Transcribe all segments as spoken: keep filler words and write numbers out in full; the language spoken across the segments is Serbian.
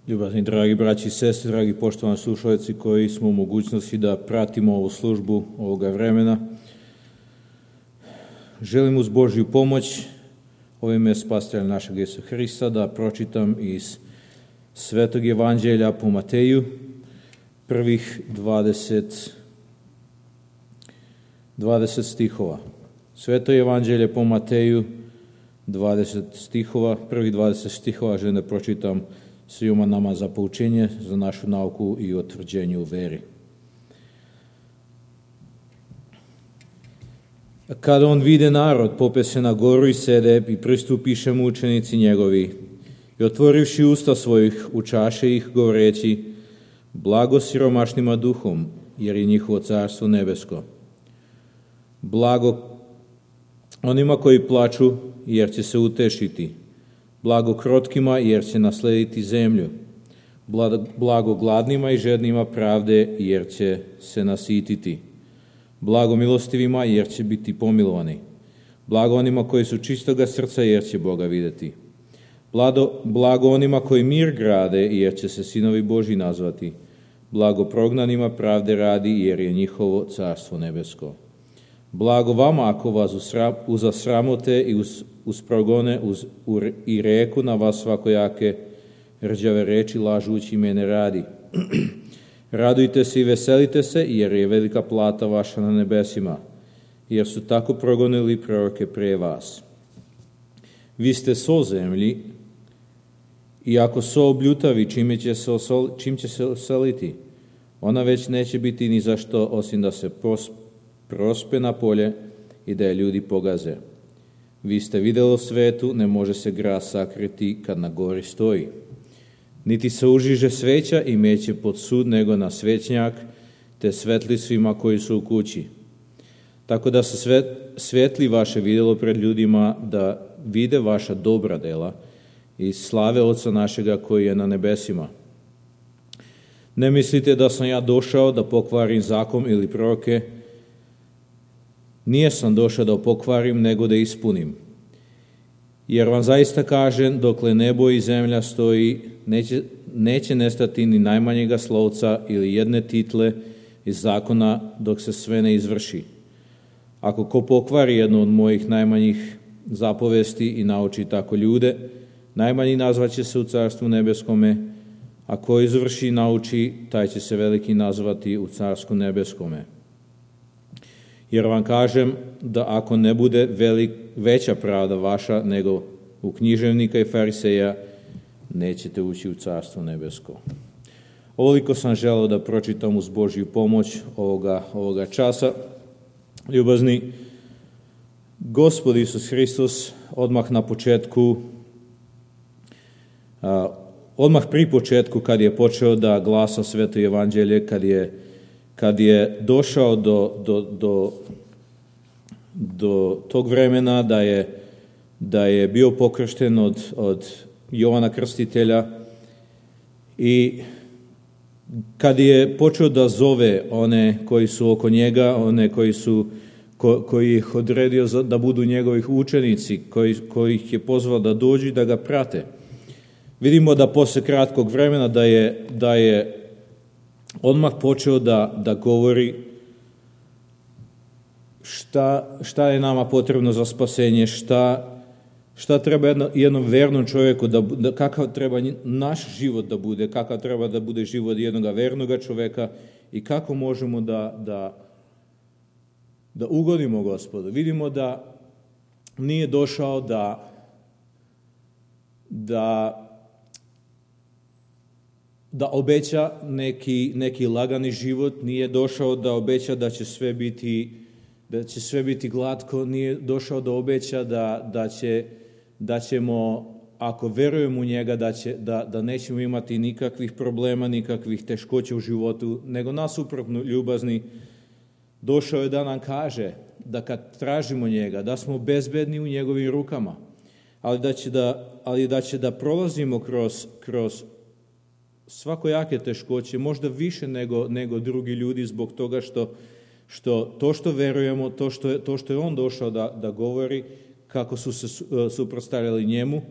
Ljubazni dragi braći i sestre, dragi poštovani slušalci koji smo u mogućnosti da pratimo ovu službu ovoga vremena, želim uz Božju pomoć ovime spasitelja našeg Isusa Hrista da pročitam iz Svetog Evanđelja po Mateju prvih dvadeset, dvadeset stihova. Sveto Evanđelje po Mateju dvadeset stihova, prvih dvadeset stihova želim da pročitam svima nama za poučenje, za našu nauku i utvrđenje u veri. Kada on vide narod, pope se na goru i sede i pristupiše mu učenici njegovi i otvorivši usta svojih učaše ih govoreći: blago siromašnima duhom, jer je njihovo carstvo nebesko. Blago onima koji plaču, jer će se utešiti. Blago krotkima, jer će naslediti zemlju. Blago gladnima i žednima pravde, jer će se nasititi. Blago milostivima, jer će biti pomilovani. Blago onima koji su čistoga srca, jer će Boga vidjeti. Blago, blago onima koji mir grade, jer će se sinovi Božji nazvati. Blago prognanima pravde radi, jer je njihovo carstvo nebesko. Blago vama ako vas uzasramote i uz, uz progone uz, u, i reku na vas svakojake rđave reči lažući mene radi. Radujte se i veselite se, jer je velika plata vaša na nebesima, jer su tako progonili proroke pre vas. Vi ste so zemlji, i ako so obljutavi, čime će se osol, čim će se osoliti, ona već neće biti ni za što, osim da se pos, prospe na polje i da je ljudi pogaze. Vi ste vidjeli svetu, ne može se grad sakriti kad na gori stoji. Niti se užiže sveća i meće pod sud, nego na svećnjak, te svetli svima koji su u kući. Tako da se svet, svetli vaše vidjelo pred ljudima, da vide vaša dobra dela i slave Oca našega koji je na nebesima. Ne mislite da sam ja došao da pokvarim zakon ili proroke. Nije sam došao da pokvarim, nego da ispunim. Jer vam zaista kažem, dokle nebo i zemlja stoji, neće, neće nestati ni najmanjega slovca ili jedne title iz zakona, dok se sve ne izvrši. Ako ko pokvari jednu od mojih najmanjih zapovesti i nauči tako ljude, najmanji nazvaće se u carstvu nebeskome, a ko izvrši i nauči, taj će se veliki nazvati u carstvu nebeskome. Jer vam kažem da ako ne bude velik, veća pravda vaša nego u književnika i fariseja, nećete ući u carstvo nebesko. Ovoliko sam želeo da pročitam uz Božju pomoć ovoga, ovoga časa. Ljubazni, Gospod Isus Hristos odmah na početku, a, odmah pri početku kad je počeo da glasa Sveto Evanđelje, kad je Kad je došao do, do, do, do tog vremena da je, da je bio pokršten od, od Jovana Krstitelja i kad je počeo da zove one koji su oko njega, one koji su ko, koji ih odredio za, da budu njegovih učenici, koji, koji ih je pozvao da dođu i da ga prate. Vidimo da posle kratkog vremena da je, da je odmah počeo da, da govori šta, šta je nama potrebno za spasenje, šta, šta treba jedno, jednom vernom čovjeku, da, da, kakav treba naš život da bude, kakav treba da bude život jednog vernog čovjeka i kako možemo da, da, da ugodimo Gospodu. Vidimo da nije došao da, da da obeća neki, neki lagani život, nije došao da obeća da će sve biti, da će sve biti glatko, nije došao da obeća da, da, će, da ćemo, ako verujemo u njega, da, će, da, da nećemo imati nikakvih problema, nikakvih teškoća u životu, nego nasuprotno, ljubazni, došao je da nam kaže da kad tražimo njega, da smo bezbedni u njegovim rukama, ali da će da, ali da, će da prolazimo kroz, kroz svakojake teškoće, možda više nego, nego drugi ljudi zbog toga što, što to što verujemo, to što je, to što je on došao da, da govori, kako su se suprotstavljali njemu,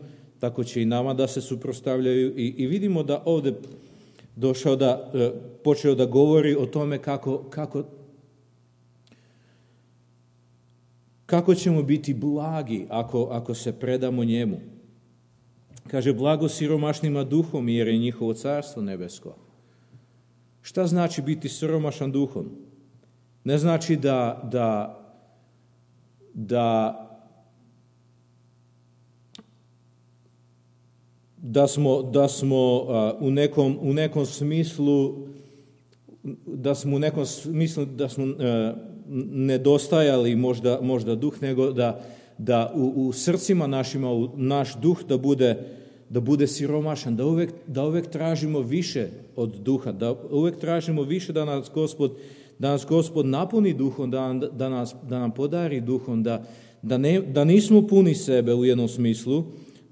tako će i nama da se suprotstavljaju. I, i vidimo da ovdje došao da, počeo da govori o tome kako, kako, kako ćemo biti blagi ako, ako se predamo njemu. Kaže, blago siromašnima duhom, jer je njihovo carstvo nebesko. Šta znači biti siromašan duhom? Ne znači da, da, da, da smo, da smo uh, u, nekom, u nekom smislu, da smo u nekom smislu da smo uh, nedostajali možda, možda duh, nego da, da u, u srcima našima, u naš duh da bude, da bude siromašan, da uvek, da uvek tražimo više od duha, da uvek tražimo više da nas Gospod, da nas Gospod napuni duhom, da, da, nas, da nam podari duhom, da, da, ne, da nismo puni sebe u jednom smislu,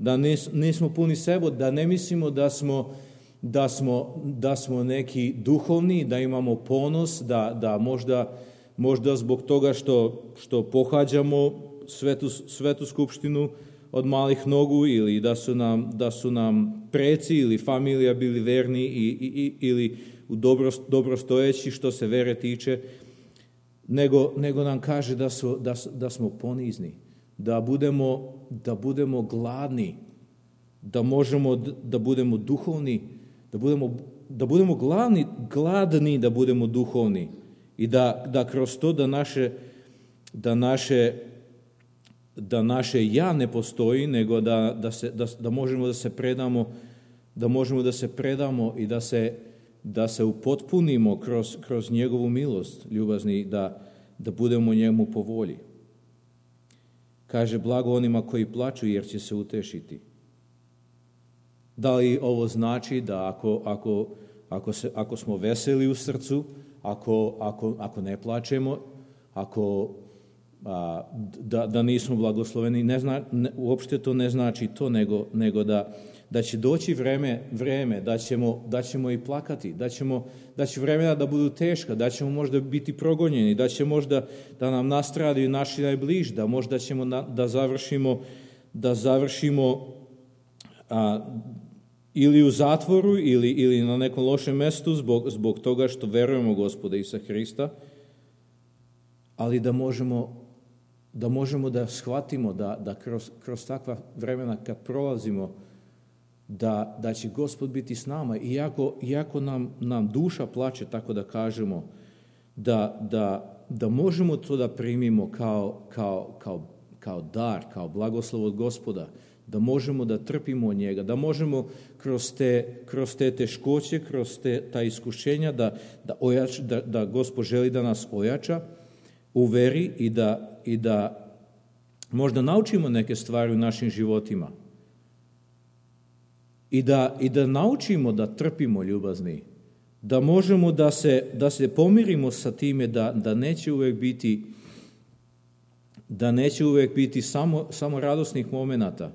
da nis, nismo puni sebe, da ne mislimo da smo, da smo, da smo neki duhovni, da imamo ponos, da, da možda, možda zbog toga što, što pohađamo svetu, svetu skupštinu od malih nogu, ili da su nam, da su nam preci ili familija bili verni i, i, ili u dobro, dobrostojeći što se vere tiče, nego, nego nam kaže da, su, da, da smo ponizni, da budemo, da budemo gladni, da možemo da budemo duhovni, da budemo, da budemo gladni, gladni da budemo duhovni i da, da kroz to da naše, da naše da naše ja ne postoji, nego da, da, se, da, da možemo da se predamo, da možemo da se predamo i da se, da se upotpunimo kroz, kroz njegovu milost, ljubazni, da, da budemo njemu po volji. Kaže, blago onima koji plaču, jer će se utešiti. Da li ovo znači da ako, ako, ako, se, ako smo veseli u srcu, ako, ako, ako ne plačemo, ako A, da, da nismo blagosloveni, ne zna, ne, uopšte to ne znači to, nego, nego da, da će doći vreme, vreme da, ćemo, da ćemo i plakati, da, ćemo, da će vremena da budu teška, da ćemo možda biti progonjeni, da će možda da nam nastradaju naši najbliži, da možda ćemo na, da završimo, da završimo a, ili u zatvoru ili, ili na nekom lošem mestu zbog, zbog toga što verujemo Gospoda Isusa Hrista, ali da možemo da možemo da shvatimo da, da kroz, kroz takva vremena kad prolazimo, da, da će Gospod biti s nama, iako, iako nam, nam duša plače, tako da kažemo, da, da, da možemo to da primimo kao, kao, kao, kao dar, kao blagoslov od Gospoda, da možemo da trpimo od njega, da možemo kroz te, kroz te teškoće, kroz te, ta iskušenja, da, da, ojač, da, da Gospod želi da nas ojača u veri i da, i da možda naučimo neke stvari u našim životima i da, i da naučimo da trpimo, ljubazni, da možemo da se, da se pomirimo sa time da, da neće uvek biti da neće uvek biti samo, samo radosnih momenata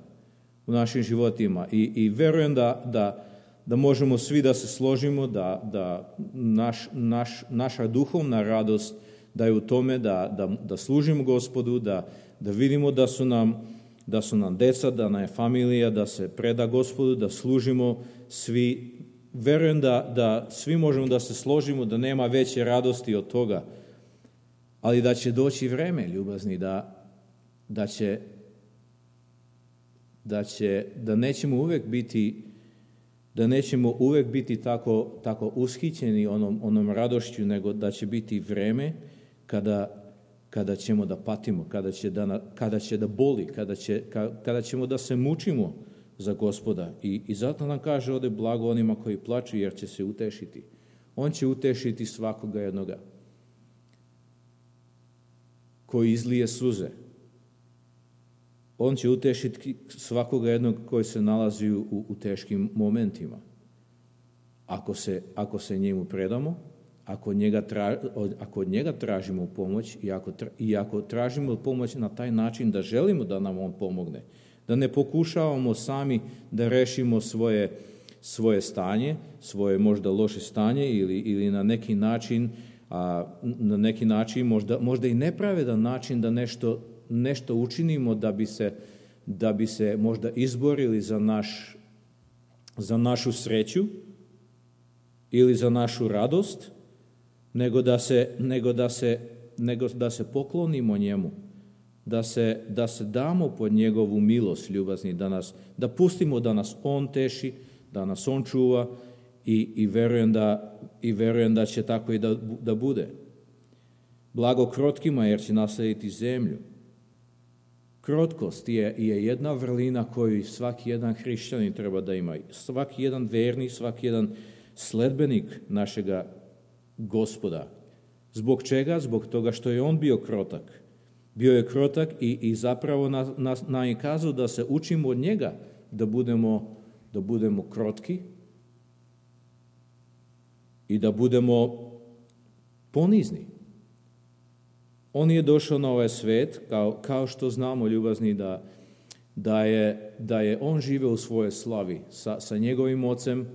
u našim životima i, i verujem da, da, da možemo svi da se složimo da, da naš, naš, naša duhovna radost da je u tome da, da, da služimo Gospodu, da, da vidimo da su, nam, da su nam deca, da nam je familija, da se preda Gospodu, da služimo svi. Verujem da, da svi možemo da se složimo, da nema veće radosti od toga, ali da će doći vreme, ljubazni, da, da će, da će, da nećemo uvek biti da nećemo uvek biti tako, tako ushićeni onom, onom radošću, nego da će biti vreme kada, kada ćemo da patimo, kada će da, kada će da boli, kada, će, kada ćemo da se mučimo za Gospoda. I, i zato nam kaže ovde blago onima koji plaču, jer će se utešiti. On će utešiti svakoga jednoga koji izlije suze. On će utešiti svakoga jednog koji se nalazi u, u teškim momentima. Ako se, ako se njemu predamo, ako, njega tra, ako od njega tražimo pomoć i ako, i ako tražimo pomoć na taj način da želimo da nam on pomogne, da ne pokušavamo sami da rešimo svoje, svoje stanje, svoje možda loše stanje ili, ili na neki način, a, na neki način možda, možda i nepravedan način da nešto nešto učinimo da bi se da bi se možda izborili za, naš, za našu sreću ili za našu radost, nego da se, nego da se, nego da se poklonimo njemu, da se, da se damo pod njegovu milost, ljubazni, da, nas, da pustimo da nas on teši, da nas on čuva i, i, verujem, da, i verujem da će tako i da, da bude. Blago krotkima jer će naslediti zemlju. Krotkost je, je jedna vrlina koju svaki jedan hrišćanin treba da ima. Svaki jedan vernik, svaki jedan sledbenik našega Gospoda. Zbog čega? Zbog toga što je on bio krotak. Bio je krotak i, i zapravo nam na, na je kazao da se učimo od njega, da budemo, da budemo krotki i da budemo ponizni. On je došao na ovaj svet, kao, kao što znamo, ljubazni, da, da, je, da je on živeo u svojoj slavi sa, sa njegovim ocem,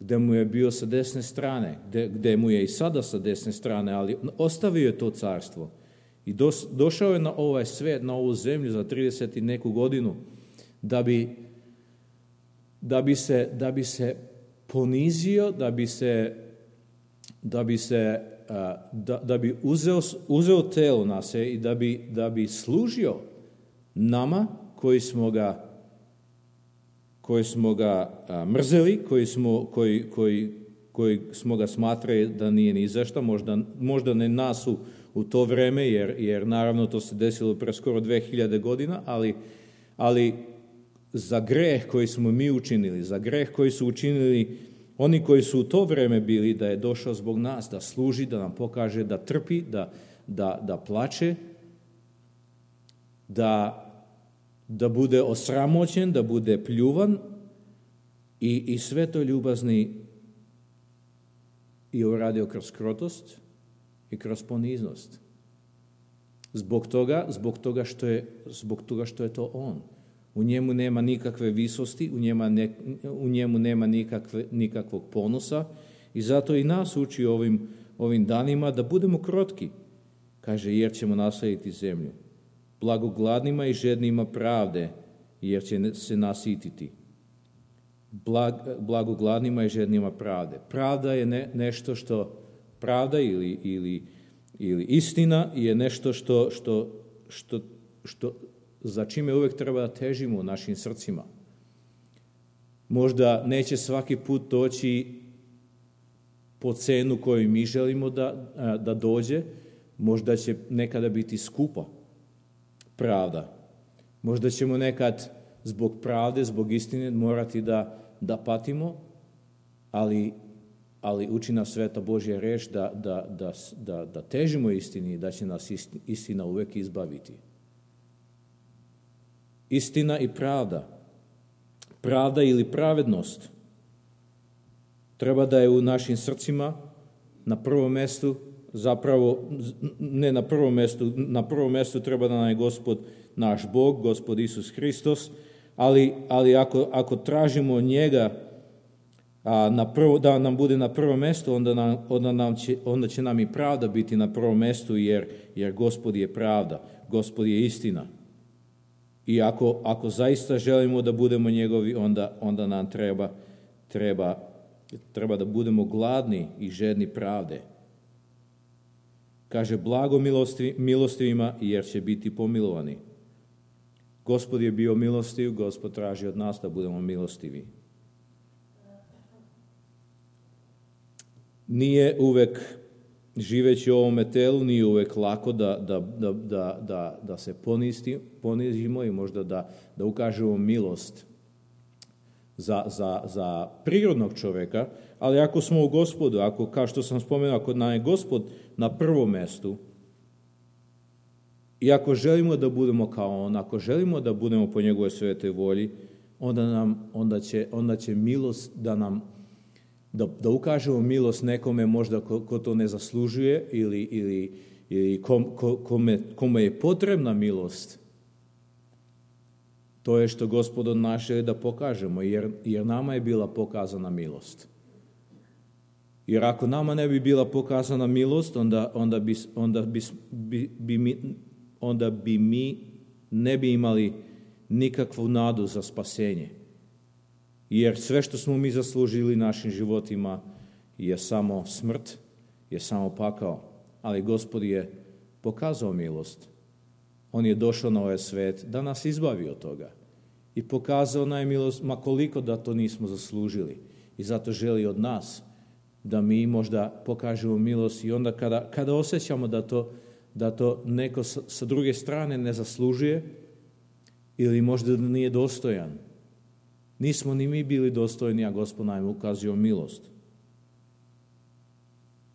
gde mu je bio sa desne strane, gde, gde mu je i sada sa desne strane, ali ostavio je to carstvo. I dos, došao je na ovaj svet, na ovu zemlju za trideset i neku godinu, da bi, da bi, se, da bi se ponizio, da bi se, da bi se Da, da bi uzeo, uzeo telo na se i da bi, da bi služio nama koji smo ga, koji smo ga a, mrzeli, koji smo, koji, koji, koji smo ga smatrali da nije ni za šta, možda, možda ne nas u, u to vreme, jer, jer naravno to se desilo pre skoro dve hiljade godina, ali, ali za greh koji smo mi učinili, za greh koji su učinili oni koji su u to vreme bili, da je došao zbog nas, da služi, da nam pokaže, da trpi, da, da, da plače, da, da bude osramoćen, da bude pljuvan i, i sve to ljubazni i uradio kroz krotost i kroz poniznost. Zbog toga, zbog toga što je, zbog toga što je to on. U njemu nema nikakve visosti, u, njema ne, u njemu nema nikakve, nikakvog ponosa i zato i nas uči ovim, ovim danima da budemo krotki. Kaže, jer ćemo naslediti zemlju. Blago gladnima i žednima pravde, jer će se nasititi. Blag, blago gladnima i žednima pravde. Pravda je ne, nešto što, pravda ili, ili, ili istina je nešto što, što, što, što za čime uvek treba da težimo u našim srcima. Možda neće svaki put doći po cenu koju mi želimo da, da dođe, možda će nekada biti skupa pravda. Možda ćemo nekad zbog pravde, zbog istine morati da, da patimo, ali, ali uči nas Sveta Božja reč da, da, da, da, da težimo istini i da će nas istina uvek izbaviti. Istina i pravda, pravda ili pravednost, treba da je u našim srcima na prvom mestu, zapravo ne na prvom mestu, na prvom mestu treba da nam je Gospod naš Bog, Gospod Isus Hristos, ali, ali ako, ako tražimo njega a, na prvo, da nam bude na prvom mestu, onda, nam, onda, nam će, onda će nam i pravda biti na prvom mestu, jer, jer Gospod je pravda, Gospod je istina. I ako, ako zaista želimo da budemo njegovi, onda, onda nam treba, treba, treba da budemo gladni i žedni pravde. Kaže, blago milosti, milostivima, jer će biti pomilovani. Gospod je bio milostiv, Gospod traži od nas da budemo milostivi. Nije uvek, živeći u ovome telu, nije uvek lako da, da, da, da, da, da se ponisti, ponizimo i možda da, da ukažemo milost za, za, za prirodnog čoveka, ali ako smo u Gospodu, ako, kao što sam spomenuo, ako nam je Gospod na prvom mestu, i ako želimo da budemo kao on, ako želimo da budemo po njegovoj svetoj volji, onda, nam, onda, će, onda će milost da nam Da, da ukažemo milost nekome možda ko, ko to ne zaslužuje ili, ili, ili kom, ko, kome, kome je potrebna milost. To je što Gospod od nas želi da pokažemo, jer, jer nama je bila pokazana milost. Jer ako nama ne bi bila pokazana milost, onda, onda, bi, onda, bi, bi, bi, mi, onda bi mi ne bi imali nikakvu nadu za spasenje. Jer sve što smo mi zaslužili našim životima je samo smrt, je samo pakao. Ali Gospod je pokazao milost. On je došao na ovaj svet da nas izbavi od toga. I pokazao nam je milost, ma koliko da to nismo zaslužili. I zato želi od nas da mi možda pokažemo milost i onda kada, kada osjećamo da to, da to neko sa, sa druge strane ne zaslužuje ili možda da nije dostojan. Nismo ni mi bili dostojni, a Gospod nam je ukazio milost.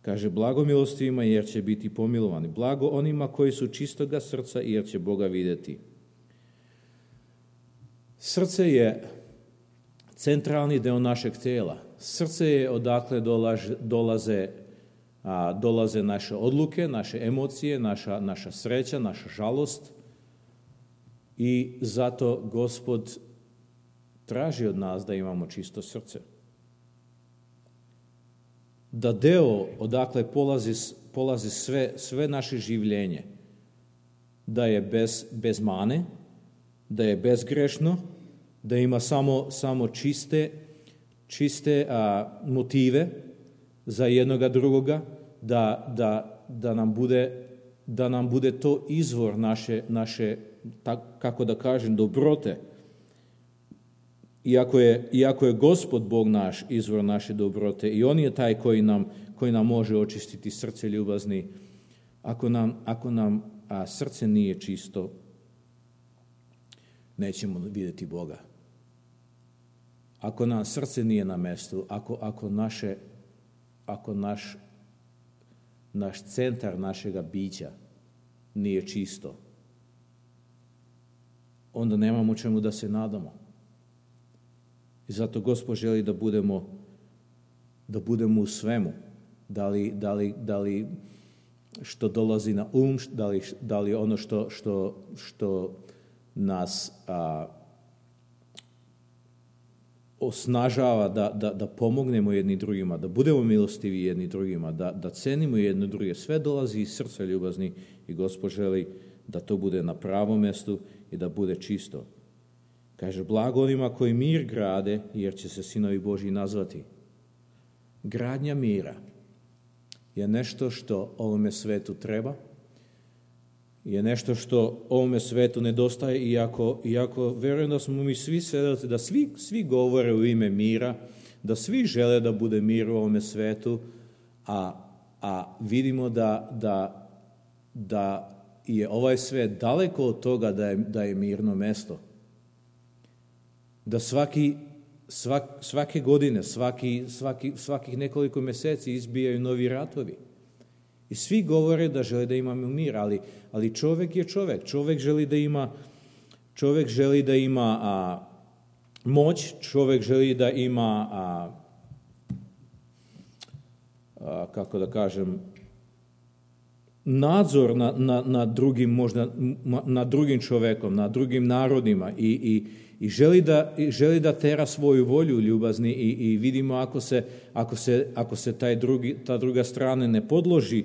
Kaže, blago milostivima jer će biti pomilovani. Blago onima koji su čistoga srca jer će Boga vidjeti. Srce je centralni deo našeg tijela. Srce je odakle dolaže, dolaze, a, dolaze naše odluke, naše emocije, naša, naša sreća, naša žalost. I zato Gospod traži od nas da imamo čisto srce. Da deo odakle polazi, polazi sve, sve naše življenje, da je bez, bez mane, da je bezgrešno, da ima samo, samo čiste, čiste a, motive za jednoga drugoga, da, da, da, nam bude, da nam bude to izvor naše, naše tak, kako da kažem, dobrote. Iako je, iako je Gospod Bog naš izvor naše dobrote i On je taj koji nam, koji nam može očistiti srce ljubazni, ako nam, ako nam a, srce nije čisto, nećemo vidjeti Boga. Ako nam srce nije na mjestu, ako, ako, naše, ako naš, naš centar našega bića nije čisto, onda nemamo čemu da se nadamo. I zato Gospod želi da budemo, da budemo u svemu. Da li, da li, da li što dolazi na um, da li, da li ono što, što, što nas a, osnažava da, da, da pomognemo jedni drugima, da budemo milostivi jedni drugima, da, da cenimo jedni druge. Sve dolazi iz srca ljubazni i Gospod želi da to bude na pravom mjestu i da bude čisto. Kaže, blago onima koji mir grade, jer će se sinovi Božji nazvati. Gradnja mira je nešto što ovome svetu treba, je nešto što ovome svetu nedostaje, iako, iako verujem da smo mi svi svedoci, da svi, svi govore u ime mira, da svi žele da bude mir u ovome svetu, a, a vidimo da, da, da je ovaj svet daleko od toga da je, da je mirno mesto. Da svaki, svak, svake godine, svaki, svaki, svakih nekoliko mjeseci izbijaju novi ratovi. I svi govore da žele da imamo mir, ali, ali čovjek je čovjek. Čovjek želi da ima, čovjek želi da ima a, moć, čovjek želi da ima, a, a, kako da kažem, nadzor na, na, na drugim, možda, na drugim čovjekom, na drugim narodima i, i I želi da, želi da tera svoju volju ljubazni i, i vidimo ako se, ako se, ako se taj drugi, ta druga strana ne podloži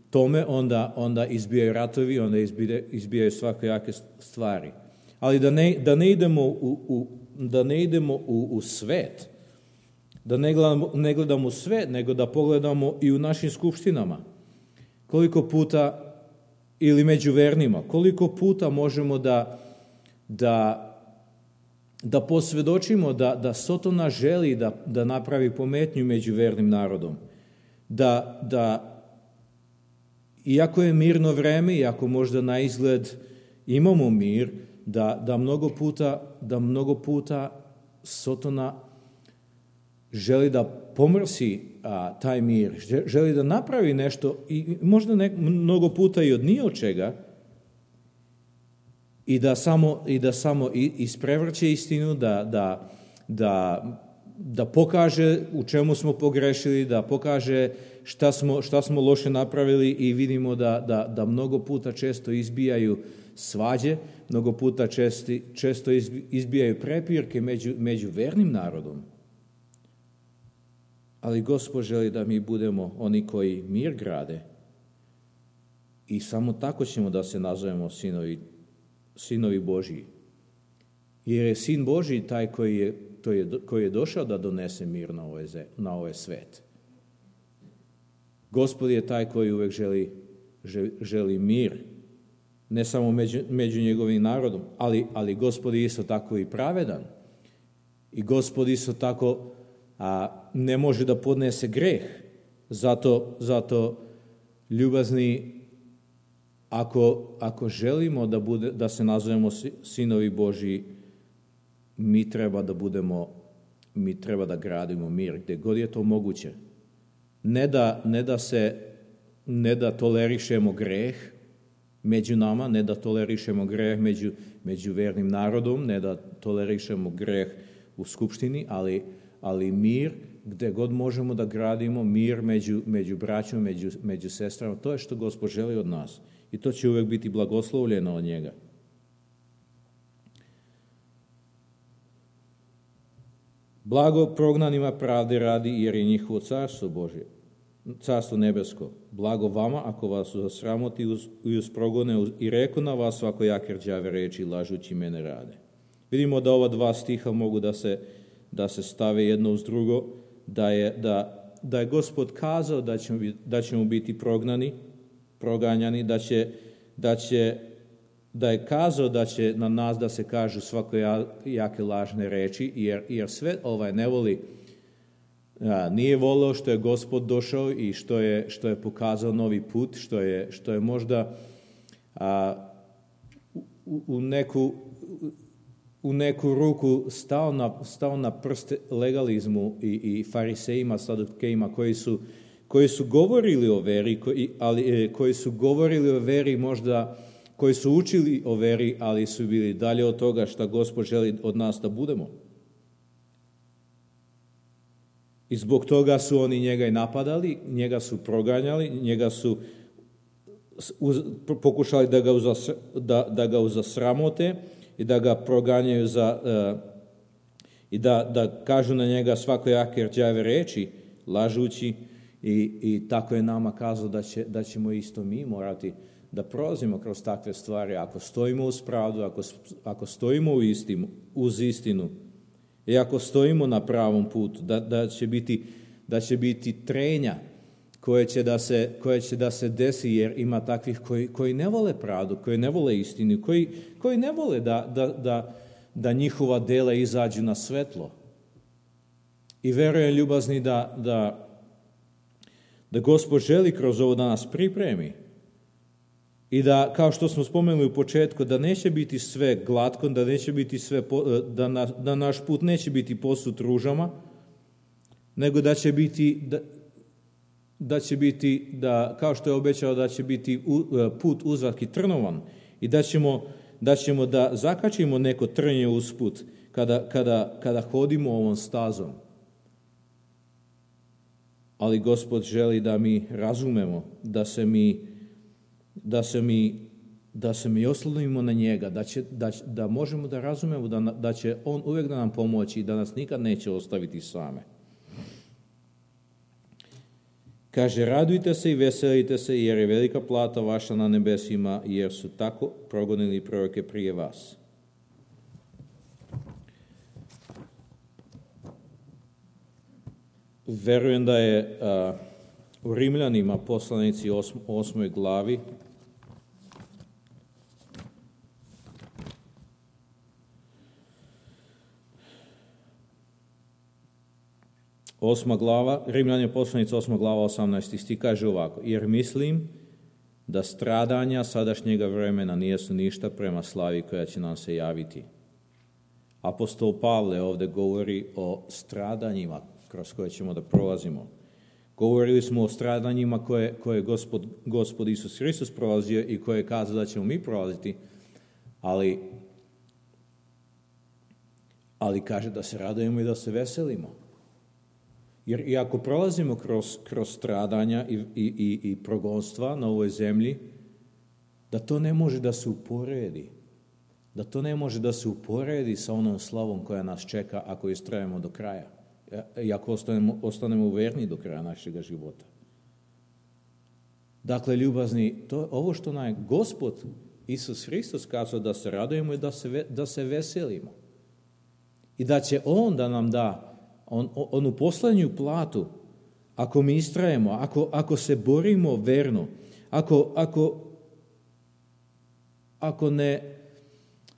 tome, onda, onda izbijaju ratovi, onda izbijaju, izbijaju svakojake stvari. Ali da ne, da ne idemo, u, u, da ne idemo u, u svet, da ne gledamo, ne gledamo u svet, nego da pogledamo i u našim skupštinama. Koliko puta, ili među vernima, koliko puta možemo da, da da posvjedočimo da, da Sotona želi da, da napravi pometnju među vernim narodom. Da, da iako je mirno vreme, iako možda na izgled imamo mir, da, da, mnogo puta, da mnogo puta Sotona želi da pomrsi a, taj mir, želi da napravi nešto i možda ne, mnogo puta i od ni od čega, I da samo, i da samo isprevrće istinu, da, da, da, da pokaže u čemu smo pogrešili, da pokaže šta smo, šta smo loše napravili i vidimo da, da, da mnogo puta često izbijaju svađe, mnogo puta česti, često izbijaju prepirke među, među vernim narodom. Ali Gospod želi da mi budemo oni koji mir grade i samo tako ćemo da se nazovemo sinovi Sinovi Božji. Jer je Sin Božji taj koji je, to je, koji je došao da donese mir na ovaj, na ovaj svet. Gospod je taj koji uvek želi, želi mir, ne samo među, među njegovim narodom, ali, ali Gospod je isto tako i pravedan. I Gospod isto tako a, ne može da podnese greh. Zato, zato ljubazni, ako, ako želimo da, bude, da se nazovemo sinovi Božji, mi treba da budemo, mi treba da gradimo mir gde god je to moguće. Ne da, ne da se, ne da tolerišemo greh među nama, ne da tolerišemo greh među, među vernim narodom, ne da tolerišemo greh u skupštini, ali, ali mir gde god možemo da gradimo, mir među, među braćom, među, među sestrama, to je što Gospod želi od nas. I to će uvek biti blagoslovljeno od njega. Blago prognanima pravde radi, jer je njihovo carstvo Božje, carstvo nebesko. Blago vama, ako vas zasramoti i uz progone i reku na vas svakojake rđave reči, lažući mene rade. Vidimo da ova dva stiha mogu da se, da se stave jedno uz drugo, da je, da, da je Gospod kazao da ćemo, da ćemo biti prognani, proganjani, da će, da će da je kazao da će na nas da se kažu svakojake lažne reči, jer, jer sve ovaj ne voli, a, nije voleo što je Gospod došao i što je, što je pokazao novi put, što je, što je možda a, u, u, neku, u neku ruku stao na, stao na prste legalizmu i, i farisejima, sadukejima koji su, koji su govorili o veri, koji, ali, koji su govorili o veri možda koji su učili o veri, ali su bili dalje od toga šta Gospod želi od nas da budemo. I zbog toga su oni njega i napadali, njega su proganjali, njega su uz, pokušali da ga, uzas, da, da ga uzasramote i da ga proganjaju za, uh, i da, da kažu na njega svakojake rđave reči, lažući, i, i tako je nama kazao da, će, da ćemo isto mi morati da prolazimo kroz takve stvari, ako stojimo uz pravdu, ako, ako stojimo u istinu, uz istinu i ako stojimo na pravom putu, da, da, će, biti, da će biti trenja koje će da se, koje će da se desi, jer ima takvih koji, koji ne vole pravdu, koji ne vole istinu, koji, koji ne vole da, da, da, da njihova dela izađu na svetlo. I verujem, ljubazni, da, da, da Gospod želi kroz ovo da nas pripremi. I da, kao što smo spomenuli u početku, da neće biti sve glatko, da neće biti sve, da, na, da naš put neće biti posut ružama, nego da će biti, da, da će biti, da, kao što je obećao, da će biti put uzak i trnovan i da ćemo, da ćemo da zakačimo neko trnje uz put kada, kada, kada hodimo ovom stazom. Ali Gospod želi da mi razumemo, da se mi da se mi, da se mi oslonimo na njega, da, će, da, da možemo da razumemo da, da će on uvijek da nam pomoći i da nas nikad neće ostaviti same. Kaže, radujte se i veselite se, jer je velika plata vaša na nebesima, jer su tako progonili proroke prije vas. Verujem da je a, u Rimljanima, poslanici osm, osmoj glavi, osma glava, Rimljanje poslanici osma glava, osamnaesti stih, kaže ovako: jer mislim da stradanja sadašnjega vremena nijesu ništa prema slavi koja će nam se javiti. Apostol Pavle ovde govori o stradanjima kroz koje ćemo da prolazimo. Govorili smo o stradanjima koje, koje Gospod, Gospod Isus Hristos prolazio i koje je kazao da ćemo mi prolaziti, ali, ali kaže da se radujemo i da se veselimo. Jer i ako prolazimo kroz, kroz stradanja i, i, i, i progonstva na ovoj zemlji, da to ne može da se uporedi. Da to ne može da se uporedi sa onom slavom koja nas čeka ako istrajemo do kraja. I ako ostanemo, ostanemo verni do kraja našeg života. Dakle, ljubazni, to, ovo što nam je Gospod Isus Hristos kazao da se radujemo i da se, da se veselimo. I da će on da nam da on, onu poslednju platu ako mi istrajemo, ako, ako se borimo verno, ako, ako, ako ne,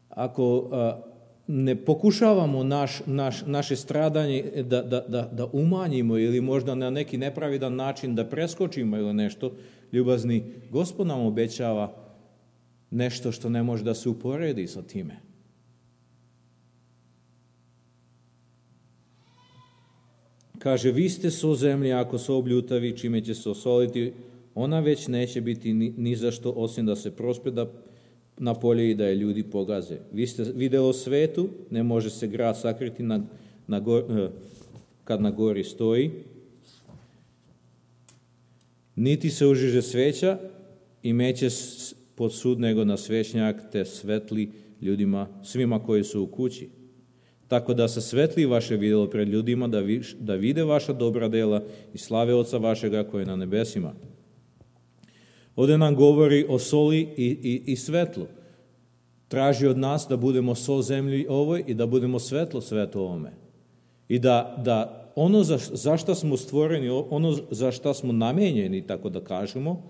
ako, a, ne pokušavamo naš, naš, naše stradanje da, da, da, da umanjimo ili možda na neki nepravidan način da preskočimo ili nešto, ljubazni, Gospod nam obećava nešto što ne može da se uporedi sa time. Kaže, vi ste so zemlji, ako so obljutavi, čime će se osoliti, ona već neće biti ni, ni za što, osim da se prospeda na polje i da je ljudi pogaze. Vi ste videlo svetu, ne može se grad sakriti na, na gor, kad na gori stoji, niti se užiže sveća i meće pod sud nego na svećnjak, te svetli ljudima, svima koji su u kući. Tako da se svetli vaše videlo pred ljudima, da, vi, da vide vaša dobra dela i slave Oca vašega koji je na nebesima. Ovdje nam govori o soli i, i, i svetlu. Traži od nas da budemo sol zemlji ovoj i da budemo svetlo svetu ovome. I da, da ono za, za šta smo stvoreni, ono za šta smo namenjeni, tako da kažemo,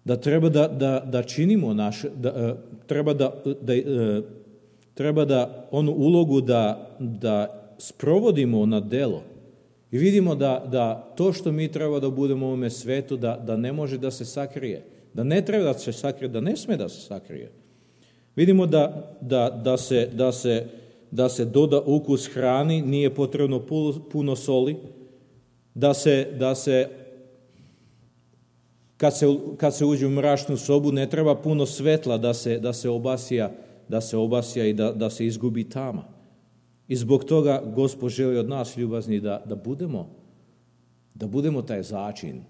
da treba da, da, da činimo naše, da, treba da, da treba da onu ulogu da, da sprovodimo na delo. I vidimo da, da to što mi treba da budemo u ovome svetu, da, da ne može da se sakrije. Da ne treba da se sakrije, da ne sme da se sakrije. Vidimo da, da, da, se, da, se, da se doda ukus hrani, nije potrebno puno soli, da se, da se, kad se, kad se uđe u mračnu sobu, ne treba puno svetla da se, da se obasija, da se obasja i da, da se izgubi tama. I zbog toga Gospod želi od nas, ljubazni, da, da budemo da budemo taj začin,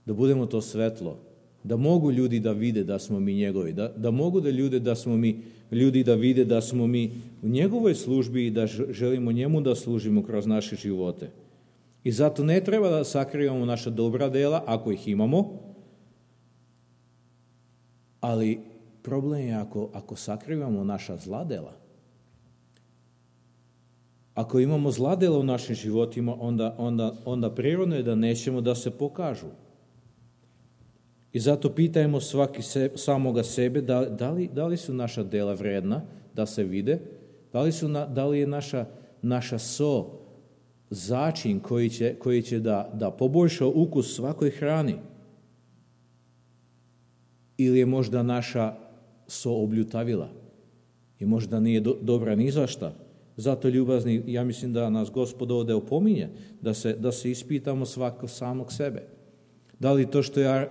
da budemo to svetlo, da mogu ljudi da vide da smo mi njegovi, da, da mogu da ljude da smo mi, ljudi da vide da smo mi u njegovoj službi i da želimo njemu da služimo kroz naše živote. I zato ne treba da sakrivamo naša dobra dela, ako ih imamo, ali problem je ako, ako sakrivamo naša zla dela. Ako imamo zla dela u našim životima, onda, onda, onda prirodno je da nećemo da se pokažu. I zato pitajmo svaki se, samoga sebe da, da, li, da li su naša dela vredna da se vide, da li, su na, da li je naša, naša so začin koji će, koji će da, da poboljša ukus svakoj hrani, ili je možda naša so obljutavila i možda nije do, dobra ni za šta. Zato, ljubazni, ja mislim da nas Gospod ovdje opominje, da se, da se ispitamo svako samog sebe. Da li to što ja,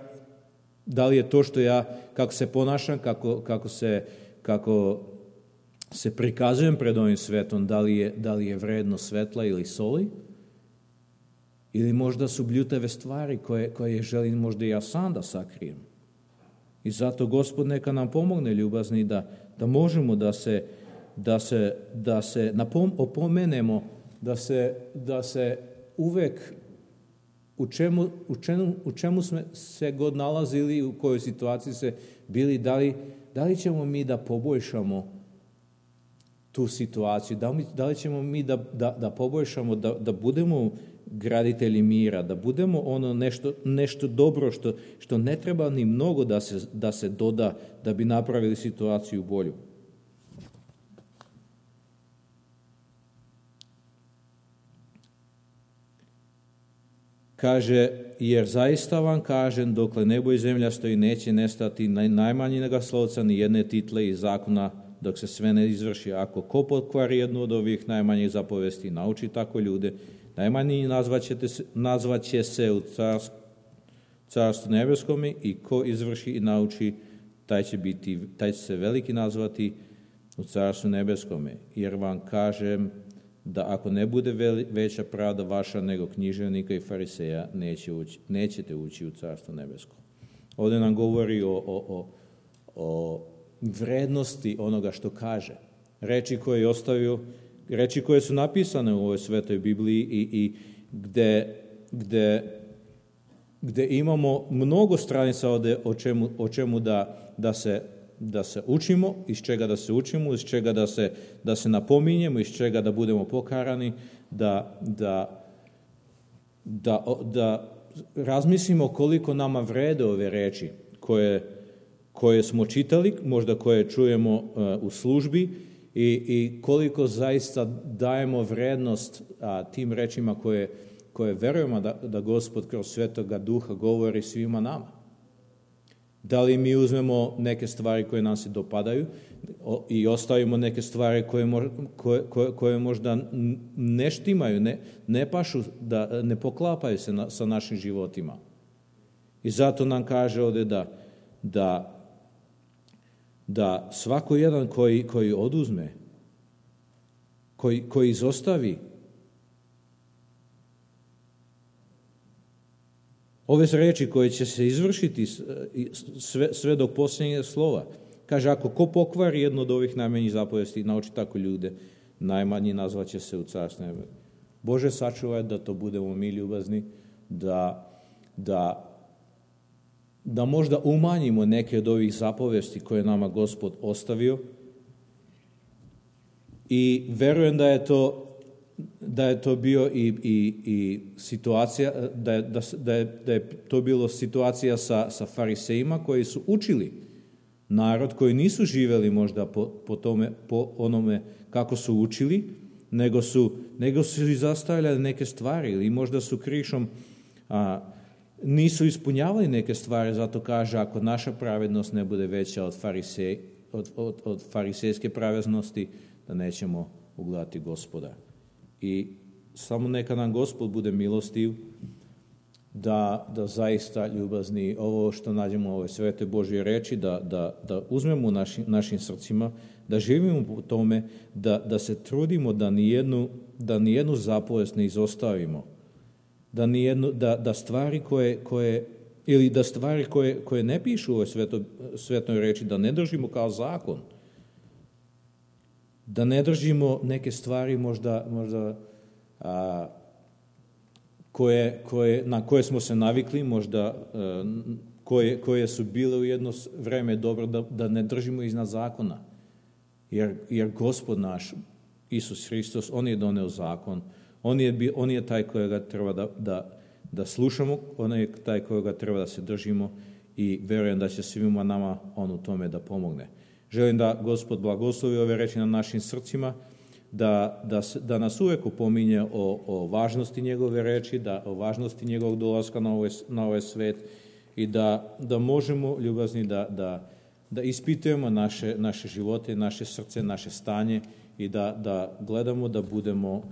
da li je to što ja, kako se ponašam, kako, kako, se, kako se prikazujem pred ovim svetom, da li je, da li je vredno svetla ili soli, ili možda su bljutave stvari koje, koje želim možda ja sam da sakrijem. I zato Gospod neka nam pomogne, ljubazni, da, da možemo da se da se, da se napom, opomenemo, da se, da se uvek u čemu, u, čemu, u čemu smo se god nalazili, u kojoj situaciji se bili, da li, da li ćemo mi da poboljšamo tu situaciju, da li, da li ćemo mi da, da, da poboljšamo, da, da budemo graditelji mira, da budemo ono nešto, nešto dobro što, što ne treba ni mnogo da se, da se doda da bi napravili situaciju bolju. Kaže, jer zaista vam kažem, dokle nebo i zemlja stoji, neće nestati najmanjega slovca ni jedne title iz zakona, dok se sve ne izvrši. Ako ko pokvari jednu od ovih najmanjih zapovesti, nauči tako ljude, najmanji nazvaće se u carstvu nebeskome, i ko izvrši i nauči, taj će, biti, taj će se veliki nazvati u carstvu nebeskome. Jer vam kažem da ako ne bude veća pravda vaša nego književnika i fariseja, neće ući, nećete ući u carstvo nebesko. Ovdje nam govori o, o, o, o vrednosti onoga što kaže. Reči koje je ostavio, reči koje su napisane u ovoj svetoj Bibliji i, i gde, gde, gde imamo mnogo stranica ovdje o čemu, o čemu da, da, se, da se učimo, iz čega da se učimo, iz čega da se, da se napominjemo, iz čega da budemo pokarani, da, da, da, da razmislimo koliko nama vrede ove reči koje, koje smo čitali, možda koje čujemo uh, u službi i, i koliko zaista dajemo vrednost a, tim rečima koje, koje verujemo da, da Gospod kroz Svetoga Duha govori svima nama. Da li mi uzmemo neke stvari koje nam se dopadaju i ostavimo neke stvari koje, koje, koje, koje možda ne štimaju, ne, ne pašu, da ne poklapaju se na, sa našim životima. I zato nam kaže ovdje da, da, da svako jedan koji, koji oduzme, koji, koji izostavi ove reči koje će se izvršiti sve, sve do posljednjeg slova. Kaže, ako ko pokvari jedno od ovih najmanjih zapovesti, nauči tako ljude, najmanji nazvaće se u carstvu nebesko. Bože, sačuvaj da to budemo mi ljubazni, da, da, da možda umanjimo neke od ovih zapovesti koje nama Gospod ostavio. I verujem da je to da je to bio i, i, i situacija, da je, da, da, je, da je to bilo situacija sa, sa farisejima koji su učili narod, koji nisu živjeli možda po, po, tome, po onome kako su učili, nego su, nego su izostavljali neke stvari ili možda su krišom a, nisu ispunjavali neke stvari, zato kaže ako naša pravednost ne bude veća od, farisej, od, od, od farisejske pravednosti, da nećemo ugledati Gospoda. I samo neka nam Gospod bude milostiv da, da zaista ljubazni ovo što nađemo ove svete Božje reči, da, da, da uzmemo u naši, našim srcima, da živimo po tome, da, da se trudimo da nijednu, da nijednu zapovest ne izostavimo, da, nijednu, da, da stvari koje, koje ili da stvari koje, koje ne pišu u ovoj sveto, svetnoj reči, da ne držimo kao zakon, da ne držimo neke stvari možda, možda a, koje, koje, na koje smo se navikli, možda a, koje, koje su bile u jedno vreme dobro, da, da ne držimo iznad zakona. Jer, jer Gospod naš, Isus Hristos, On je doneo zakon, On je, on je taj kojega treba da, da, da slušamo, On je taj kojega treba da se držimo i verujem da će svima nama On u tome da pomogne. Želim da Gospod blagoslovi ove reči na našim srcima, da, da, da nas uvek upominje o, o važnosti njegove reči, da o važnosti njegovog dolaska na ovaj, na ovaj svet i da, da možemo, ljubazni, da, da, da ispitujemo naše, naše živote, naše srce, naše stanje i da, da gledamo da budemo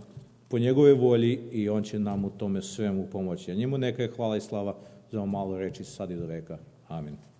po njegove volji i on će nam u tome svemu pomoći. A njemu neka je hvala i slava za ovo malo reči sad i do veka. Amin.